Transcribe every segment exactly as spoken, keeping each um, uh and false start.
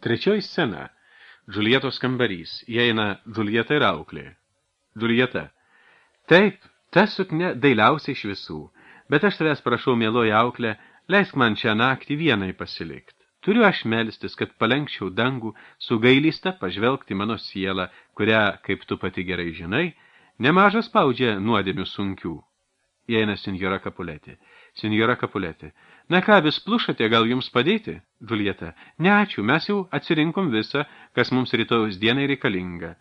Trečioji scena. Džuljetos kambarys. Įeina Džuljeta ir auklė. Džuljeta. Taip, ta suknia dailiausia iš visų, bet aš tavęs prašau, mieloji auklė, leisk man šią naktį vienai pasilikt. Turiu aš melstis, kad palenkčiau dangų, su gailista pažvelgti mano sielą, kurią, kaip tu pati gerai žinai, nemažas spaudžia nuodėmių sunkių. Įeina senjora Kapuletė. Senjora Kapuletė. Na ką, vis plušate, gal jums padėti? Džuljeta. Ne, ačiū, mes jau atsirinkom visą, kas mums rytojus dienai reikalinga.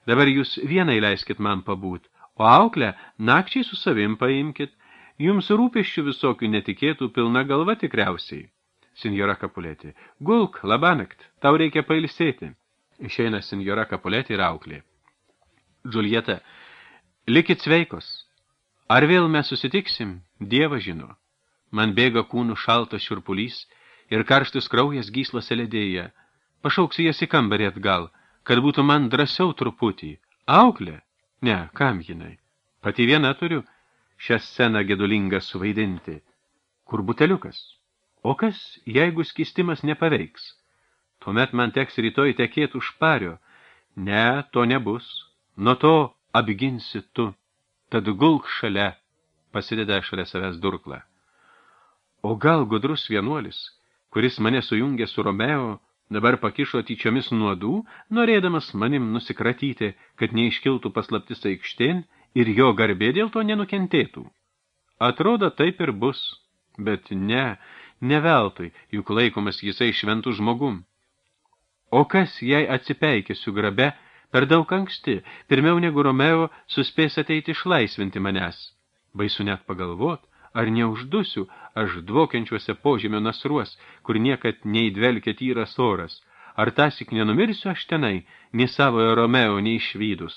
Dabar jūs vienai leiskit man pabūt, o auklę nakčiai su savim paimkit. Jums rūpesčių visokių netikėtų pilna galva tikriausiai. Senjora Kapuletė. Gulk, labanakt, tau reikia pailsėti. Išeina senjora Kapuletė ir auklė. Džuljeta. Likit sveikos. Ar vėl mes susitiksim? Dievas žino. Man bėga kūnų šaltas šiurpulys ir karštis kraujas gyslose ledėja. Pašauksiu jas į kambarį atgal, kad būtų man drąsiau truputį. Auklė? Ne, kam jinai? Pati viena turiu šią sceną gedulingą suvaidinti. Kur buteliukas? O kas, jeigu skistimas nepaveiks? Tuomet man teks rytoj tekėti už pario. Ne, to nebus. Nuo to apginsi tu. Tad gulk šalia, pasideda šalia savęs durklą. O gal gudrus vienuolis, kuris mane sujungė su Romeo, dabar pakišo tyčiomis nuodų, norėdamas manim nusikratyti, kad neiškiltų paslaptis aikštėn ir jo garbė dėl to nenukentėtų. Atrodo, taip ir bus, bet ne, ne veltui, juk laikomas jisai šventų žmogum. O kas, jei atsipeikėsiu grabe, per daug anksti, pirmiau negu Romeo suspės ateiti išlaisvinti manęs. Baisu net pagalvot, ar neuždusiu aš dvokiančiuose požemio nasruos, kur niekad neįdvelkia tyras oras, ar tasik nenumirsiu aš tenai, nei savojo Romeo neišvydus.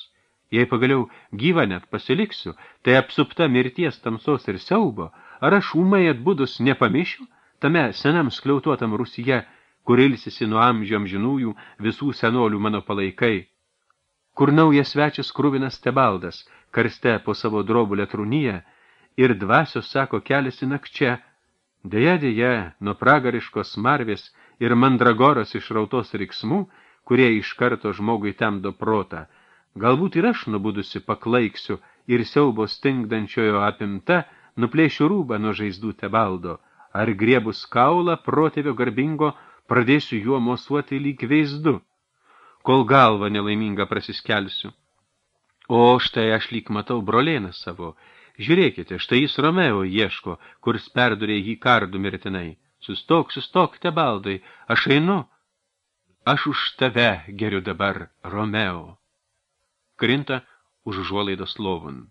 Jei pagaliau gyvą net pasiliksiu, tai apsupta mirties tamsos ir siaubo, ar aš ūmai atbudus nepamišiu, tame senam skliautuotam Rusija, kur ilsisi nuo amžių amžinųjų visų senolių mano palaikai, kur naujas svečias kruvinas Tebaldas, karste po savo drobulę trūnyje, ir dvasios, sako, keliasi nakčia, deja, deja, nuo pragariškos smarvės ir mandragoros išrautos riksmų, kurie iš karto žmogui temdo protą, galbūt ir aš nubudusi paklaiksiu ir siaubo stingdančiojo apimta, nuplėšiu rūbą nuo žaizdų Tebaldo, ar griebus kaulą protėvio garbingo, pradėsiu juo mosuoti lyg veizdu, kol galvą nelaimingą prasiskelsiu. O štai aš lyg matau brolėną savo. Žiūrėkite, štai jis Romeo ieško, kurs perdurė jį kardu mirtinai. Sustok, sustok, Tebaldai, aš einu. Aš už tave geriu dabar, Romeo. Krinta už užuolaidos lovun.